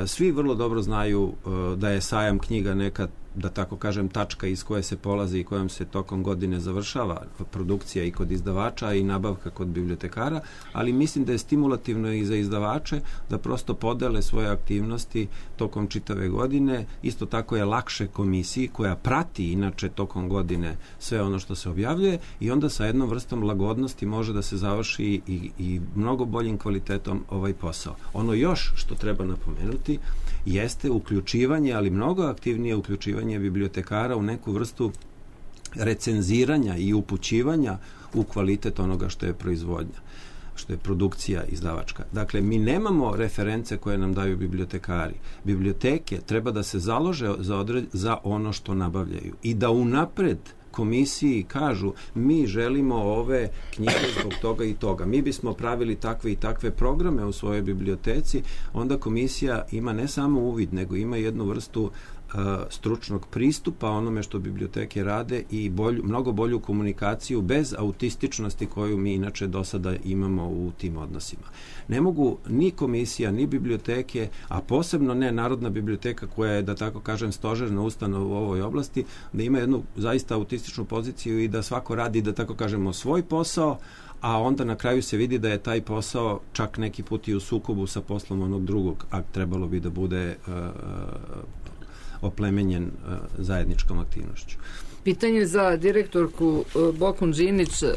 Svi vrlo dobro znaju da je sajam knjiga neka, da tako kažem, tačka iz koje se polazi i kojom se tokom godine završava produkcija i kod izdavača i nabavka kod bibliotekara, ali mislim da je stimulativno i za izdavače da prosto podele svoje aktivnosti tokom čitave godine. Isto tako je lakše komisiji koja prati inače tokom godine sve ono što se objavljuje i onda sa jednom vrstom lagodnosti može da se završi i, i mnogo boljim kvalitetom ovaj posao. Ono još što treba napomenuti jeste uključivanje, ali mnogo aktivnije uključivanje bibliotekara u neku vrstu recenziranja i upućivanja u kvalitet onoga što je proizvodnja, što je produkcija izdavačka. Dakle, mi nemamo reference koje nam daju bibliotekari. Biblioteke treba da se založe za, odred, za ono što nabavljaju i da unapred komisiji kažu mi želimo ove knjige zbog toga i toga. Mi bismo pravili takve i takve programe u svojoj biblioteci, onda komisija ima ne samo uvid, nego ima jednu vrstu uh, stručnog pristupa onome što biblioteke rade i bolju, mnogo bolju komunikaciju bez autističnosti koju mi inače do sada imamo u tim odnosima. Ne mogu ni komisija, ni biblioteke, a posebno ne Narodna biblioteka koja je, da tako kažem, stožerna ustanova u ovoj oblasti, da ima jednu zaista autističnu poziciju i da svako radi, da tako kažemo, svoj posao, a onda na kraju se vidi da je taj posao čak neki put i u sukobu sa poslom onog drugog, a trebalo bi da bude uh, oplemenjen uh, zajedničkom aktivnošću. Pitanje za direktorku uh, Bokun Đinić. Uh,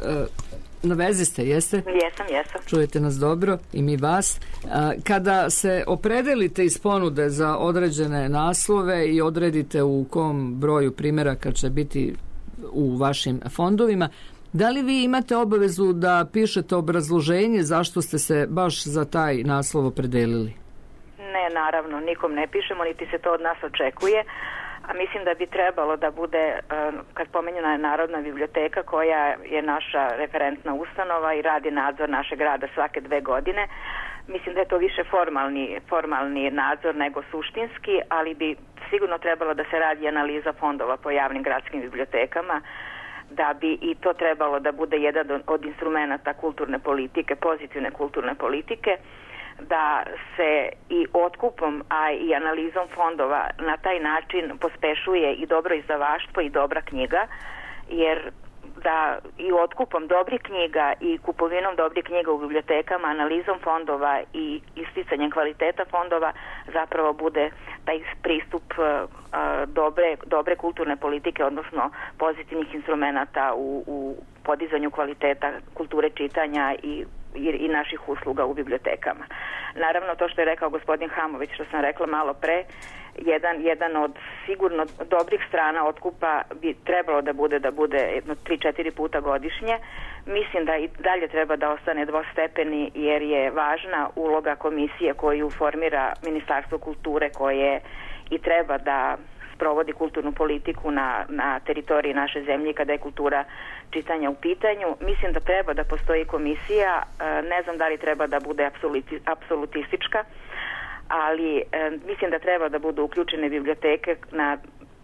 na vezi ste, jeste? Jesam, jesam. Čujete nas dobro i mi vas. Uh, kada se opredelite iz ponude za određene naslove i odredite u kom broju primjeraka će biti u vašim fondovima, da li vi imate obavezu da pišete obrazloženje zašto ste se baš za taj naslov opredelili? Ne, naravno, nikom ne pišemo, niti se to od nas očekuje, a mislim da bi trebalo da bude, kad pomenjena je Narodna biblioteka koja je naša referentna ustanova i radi nadzor našeg rada svake dve godine, mislim da je to više formalni, formalni nadzor nego suštinski, ali bi sigurno trebalo da se radi analiza fondova po javnim gradskim bibliotekama, da bi i to trebalo da bude jedan od instrumenta kulturne politike, pozitivne kulturne politike, da se i otkupom, a i analizom fondova na taj način pospešuje i dobro izdavaštvo i dobra knjiga, jer da i otkupom dobrih knjiga i kupovinom dobrih knjiga u bibliotekama, analizom fondova i isticanjem kvaliteta fondova zapravo bude taj pristup uh, dobre, dobre kulturne politike, odnosno pozitivnih instrumenata u, u podizanju kvaliteta kulture čitanja i I, i naših usluga u bibliotekama. Naravno, to što je rekao gospodin Hamović, što sam rekla malo pre, jedan, jedan od sigurno dobrih strana otkupa bi trebalo da bude da bude jedno tri četiri puta godišnje. Mislim da i dalje treba da ostane dvostepeni, jer je važna uloga komisije koju formira Ministarstvo kulture, koje i treba da provodi kulturnu politiku na, na teritoriji naše zemlje kada je kultura čitanja u pitanju. Mislim da treba da postoji komisija, ne znam da li treba da bude apsoluti, apsolutistička, ali mislim da treba da budu uključene biblioteke na,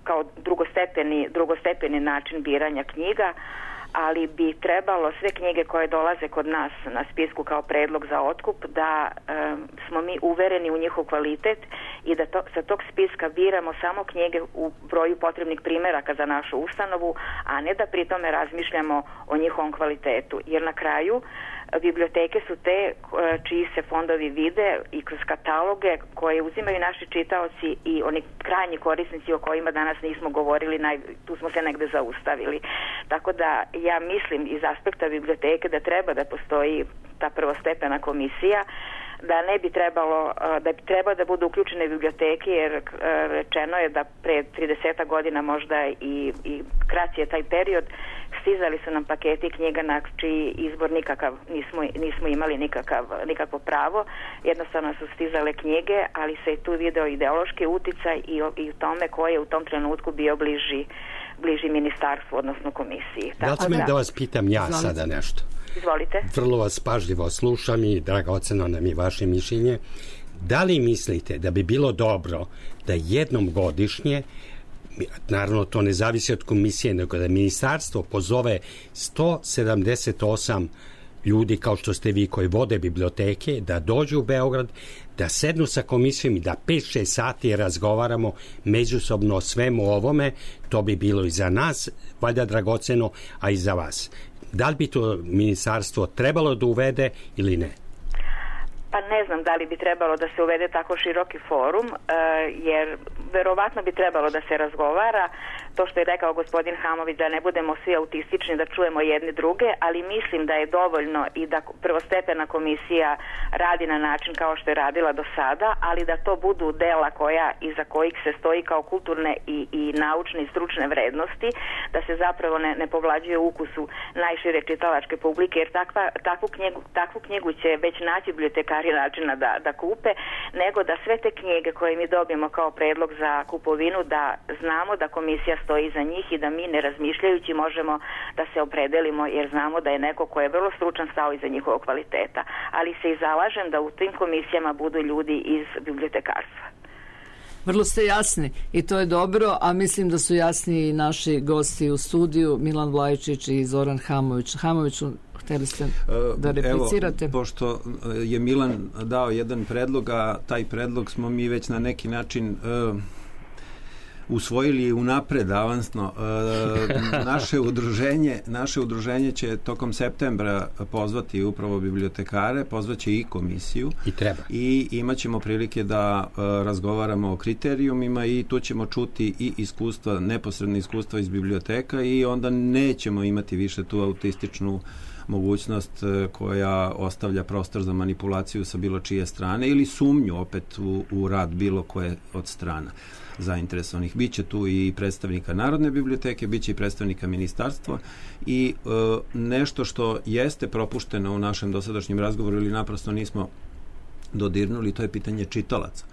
kao drugostepeni, drugostepeni način biranja knjiga, ali bi trebalo sve knjige koje dolaze kod nas na spisku kao predlog za otkup da e, smo mi uvereni u njihov kvalitet i da to, sa tog spiska biramo samo knjige u broju potrebnih primjeraka za našu ustanovu, a ne da pri tome razmišljamo o njihovom kvalitetu. Jer na kraju biblioteke su te čiji se fondovi vide i kroz kataloge koje uzimaju naši čitaoci i oni krajnji korisnici o kojima danas nismo govorili, naj, tu smo se negde zaustavili. Tako da ja mislim iz aspekta biblioteke da treba da postoji ta prvostepena komisija, da ne bi trebalo, da bi trebalo da budu uključene biblioteke, jer rečeno je da pre trideset godina možda i, i kraći je taj period, stizali su nam paketi knjiga na čiji izbor nikakav, nismo, nismo imali nikakav, nikakvo pravo, jednostavno su stizale knjige, ali se tu video ideološki uticaj i, i u tome ko je u tom trenutku bio bliži, bliži ministarstvu, odnosno komisiji. Da li smijem da vas pitam ja Izvolite. sada nešto? Izvolite. Vrlo vas pažljivo slušam i dragoceno nam je vaše mišljenje. Da li mislite da bi bilo dobro da jednom godišnje naravno to ne zavisi od komisije, nego da ministarstvo pozove sto sedamdeset osam ljudi kao što ste vi koji vode biblioteke, da dođu u Beograd, da sednu sa komisijom i da pet šest sati razgovaramo međusobno o svemu ovome. To bi bilo i za nas valjda dragoceno, a i za vas. Da li bi to ministarstvo trebalo da uvede ili ne? Pa ne znam da li bi trebalo da se uvede tako široki forum, jer verovatno bi trebalo da se razgovara. To što je rekao gospodin Hamović, da ne budemo svi autistični, da čujemo jedni druge, ali mislim da je dovoljno i da prvostepena komisija radi na način kao što je radila do sada, ali da to budu dela koja iza kojih se stoji kao kulturne i, i naučne i stručne vrednosti, da se zapravo ne, ne povlađuje ukusu najšire čitalačke publike, jer takva, takvu, knjigu, takvu knjigu će već naći bibliotekari načina da, da kupe, nego da sve te knjige koje mi dobijemo kao predlog za kupovinu, da znamo da komisija stoji iza njih i da mi ne razmišljajući možemo da se opredelimo, jer znamo da je neko ko je vrlo stručan stao iza njihovog kvaliteta. Ali se i zalažem da u tim komisijama budu ljudi iz bibliotekarstva. Vrlo ste jasni i to je dobro, a mislim da su jasni i naši gosti u studiju, Milan Vlajičić i Zoran Hamović. Hamoviću, htjeli ste da replicirate? Evo, pošto je Milan dao jedan predlog, a taj predlog smo mi već na neki način uh, usvojili unapred avansno. Uh, naše udruženje naše udruženje će tokom septembra pozvati upravo bibliotekare, pozvaće i komisiju i treba. I imat ćemo prilike da uh, razgovaramo o kriterijumima i tu ćemo čuti i iskustva, neposredne iskustva iz biblioteka i onda nećemo imati više tu autističnu mogućnost koja ostavlja prostor za manipulaciju sa bilo čije strane ili sumnju opet u, u rad bilo koje od strana zainteresovanih. Biće tu i predstavnika Narodne biblioteke, biće i predstavnika ministarstva i e, nešto što jeste propušteno u našem dosadašnjem razgovoru ili naprosto nismo dodirnuli, to je pitanje čitalaca.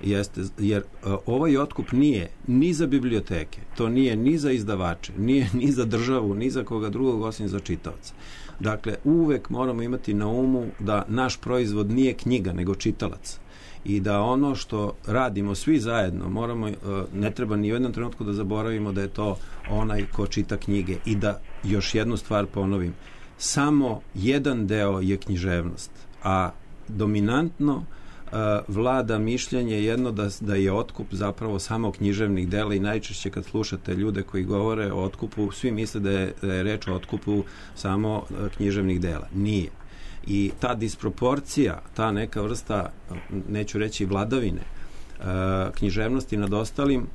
Jeste, jer uh, ovaj otkup nije ni za biblioteke, to nije ni za izdavače, nije ni za državu, ni za koga drugog osim za čitaoce. Dakle, uvek moramo imati na umu da naš proizvod nije knjiga, nego čitalac. I da ono što radimo svi zajedno, moramo, uh, ne treba ni u jednom trenutku da zaboravimo da je to onaj ko čita knjige. I da još jednu stvar ponovim, samo jedan deo je književnost, a dominantno Uh, vlada mišljenje jedno da, da je otkup zapravo samo književnih dela i najčešće kad slušate ljude koji govore o otkupu, svi misle da je, da je reč o otkupu samo uh, književnih dela. Nije. I ta disproporcija, ta neka vrsta, neću reći vladavine, uh, književnosti nad ostalim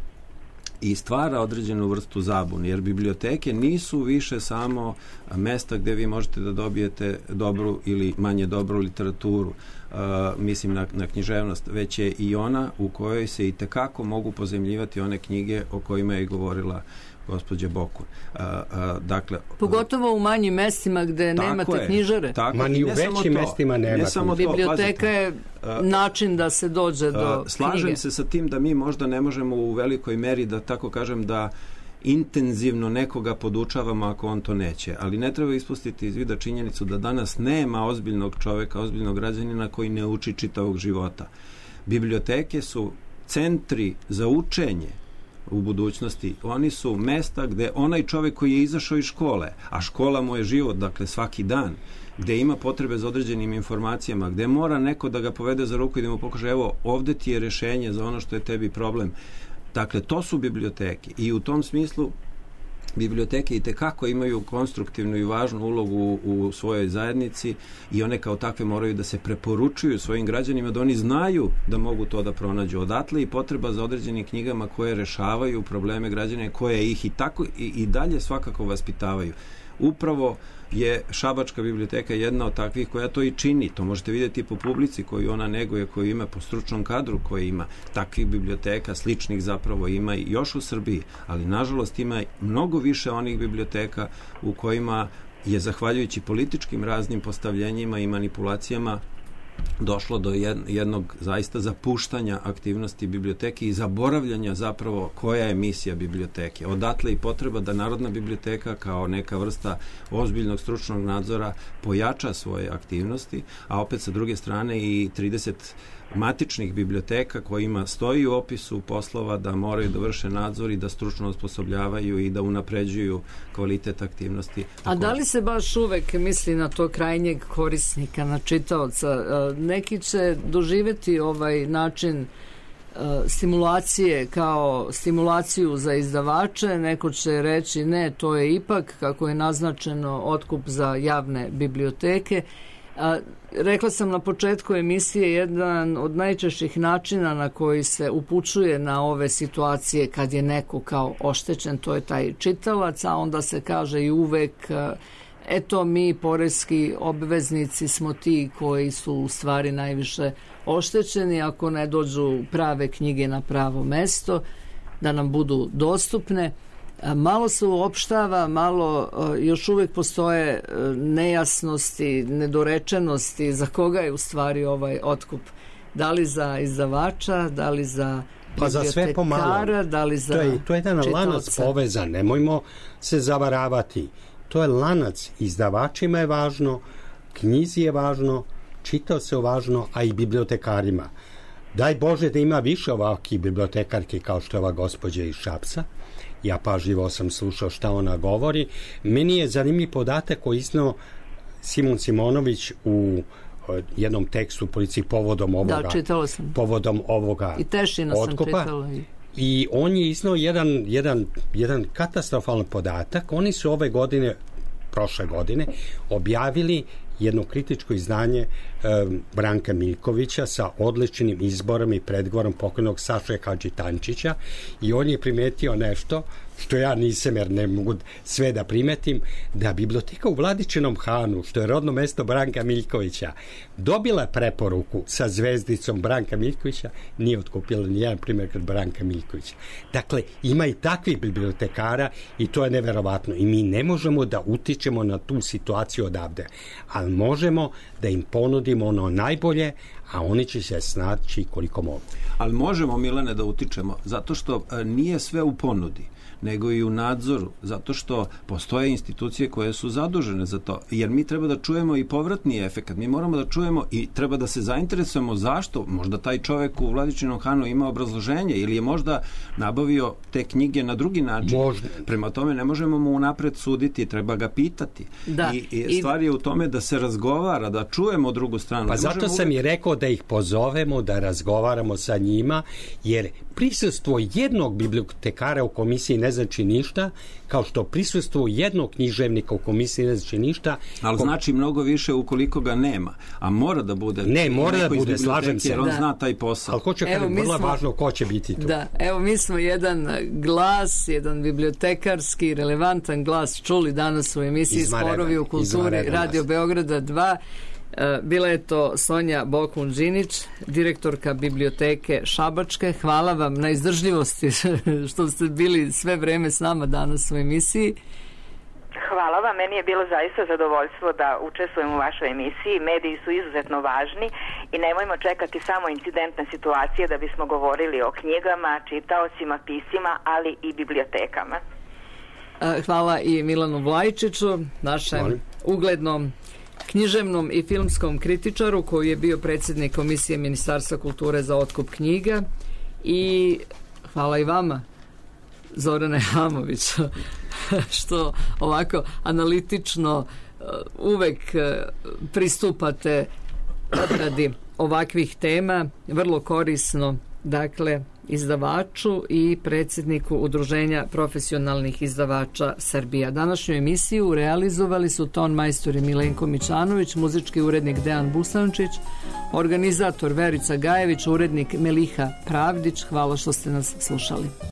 i stvara određenu vrstu zabune, jer biblioteke nisu više samo mesta gdje vi možete da dobijete dobru ili manje dobru literaturu, uh, mislim na, na književnost, već je i ona u kojoj se i tekako mogu pozemljivati one knjige o kojima je govorila gospođa Bokun. Uh, uh, dakle, pogotovo u manjim mestima gde nemate je, knjižare. Tako, Ma ni u većim mestima nema. Ne samo to, biblioteka je način da se dođe do uh, slažem knjige. se sa tim da mi možda ne možemo u velikoj meri da tako kažem da intenzivno nekoga podučavamo ako on to neće, ali ne treba ispustiti iz vida činjenicu da danas nema ozbiljnog čoveka, ozbiljnog građanina koji ne uči čitavog života. Biblioteke su centri za učenje u budućnosti. Oni su mesta gde onaj čovek koji je izašao iz škole, a škola mu je život, dakle svaki dan, gde ima potrebe za određenim informacijama, gde mora neko da ga povede za ruku i da mu pokaže, evo, ovde ti je rešenje za ono što je tebi problem. Dakle, to su biblioteke i u tom smislu biblioteke i tekako imaju konstruktivnu i važnu ulogu u svojoj zajednici i one kao takve moraju da se preporučuju svojim građanima, da oni znaju da mogu to da pronađu. Odatle i potreba za određenim knjigama koje rešavaju probleme građana, koje ih i tako i, i dalje svakako vaspitavaju. Upravo je Šabačka biblioteka jedna od takvih koja to i čini. To možete vidjeti po publici koju ona neguje, koju ima, po stručnom kadru koji ima. Takvih biblioteka, sličnih zapravo ima i još u Srbiji, ali nažalost ima mnogo više onih biblioteka u kojima je zahvaljujući političkim raznim postavljenjima i manipulacijama došlo do jednog zaista zapuštanja aktivnosti biblioteke i zaboravljanja zapravo koja je misija biblioteke. Odatle i potreba da Narodna biblioteka kao neka vrsta ozbiljnog stručnog nadzora pojača svoje aktivnosti, a opet sa druge strane i trideset matičnih biblioteka kojima stoji u opisu poslova da moraju da vrše nadzor i da stručno osposobljavaju i da unapređuju kvalitet aktivnosti. A da li se baš uvek misli na to krajnjeg korisnika, na čitaoca? Neki će doživjeti ovaj način stimulacije kao stimulaciju za izdavače, neko će reći ne, to je ipak, kako je naznačeno, otkup za javne biblioteke. A, rekla sam na početku emisije, jedan od najčešćih načina na koji se upućuje na ove situacije kad je neko kao oštećen, to je taj čitalac, a onda se kaže i uvek eto mi poreski obveznici smo ti koji su u stvari najviše oštećeni ako ne dođu prave knjige na pravo mesto, da nam budu dostupne. Malo se uopštava, malo još uvijek postoje nejasnosti, nedorečenosti za koga je u stvari ovaj otkup. Da li za izdavača, da li za pa za sve pomalo. Da li za to je, to je jedan čitaoca. Lanac povezan, nemojmo se zavaravati. To je lanac, izdavačima je važno, knjizi je važno, čitaocu je važno, a i bibliotekarima. Daj Bože da ima više ovakvih bibliotekarki kao što je ova gospođa iz Šapca. Ja pažljivo sam slušao šta ona govori. Meni je zanimljiv podatak koji izneo Simon Simonović u jednom tekstu policiji povodom ovoga. Da, čitala sam. Povodom ovoga I Tešina otkupa. sam čitala. I... I on je izneo jedan, jedan, jedan katastrofalan podatak. Oni su ove godine, prošle godine, objavili jedno kritičko izdanje e, Branka Miljkovića sa odličnim izborom i predgovorom pokojnog Saše Hadžitančića i on je primetio nešto što ja nisam, jer ne mogu sve da primetim, da biblioteka u Vladičinom Hanu, što je rodno mesto Branka Miljkovića, dobila preporuku sa zvezdicom Branka Miljkovića, nije otkupila nijedan primjer kod Branka Miljkovića. Dakle, ima i takvih bibliotekara i to je neverovatno. I mi ne možemo da utičemo na tu situaciju odavde, ali možemo da im ponudimo ono najbolje, a oni će se snaći koliko mogu. Ali možemo, Milane, da utičemo, zato što nije sve u ponudi, nego i u nadzoru, zato što postoje institucije koje su zadužene za to, jer mi treba da čujemo i povratni efekat, mi moramo da čujemo i treba da se zainteresujemo zašto, možda taj čovek u Vladičinom Hanu ima obrazloženje ili je možda nabavio te knjige na drugi način. Možda. Prema tome ne možemo mu unapred suditi, treba ga pitati. Da. I, i stvar je u tome da se razgovara, da čujemo drugu stranu. Pa ne zato sam uvijek... i rekao da ih pozovemo, da razgovaramo sa njima, jer prisustvo jednog bibliotekara u komisiji ne znači ništa, kao što prisustvo jednog književnika u komisiji ne znači ništa. Ali Kom... znači mnogo više ukoliko ga nema, a mora da bude. Ne, mora da bude, slažem se. Jer on da. zna taj posao. Ali ko će kada, vrlo smo... važno ko će biti tu. Da, evo mi smo jedan glas, jedan bibliotekarski, relevantan glas čuli danas u emisiji Izmarena, Sporovi u kulturi Radio Beograda dva. Bila je to Sonja Bokun-Đinić, direktorka biblioteke Šabačke. Hvala vam na izdržljivosti što ste bili sve vreme s nama danas u emisiji. Hvala vam, meni je bilo zaista zadovoljstvo da učestvujem u vašoj emisiji. Mediji su izuzetno važni i nemojmo čekati samo incidentne situacije da bismo govorili o knjigama, čitaocima, pisima, ali i bibliotekama. Hvala i Milanu Vlajčiću, našem Hvala. uglednom književnom i filmskom kritičaru koji je bio predsjednik Komisije Ministarstva kulture za otkup knjiga, i hvala i vama, Zorane Hamović, što ovako analitično uvek pristupate obradi ovakvih tema, vrlo korisno, dakle, izdavaču i predsjedniku Udruženja profesionalnih izdavača Srbija. Današnju emisiju realizovali su ton majstori Milenko Mićanović, muzički urednik Dejan Busančić, organizator Verica Gajević, urednik Meliha Pravdić. Hvala što ste nas slušali.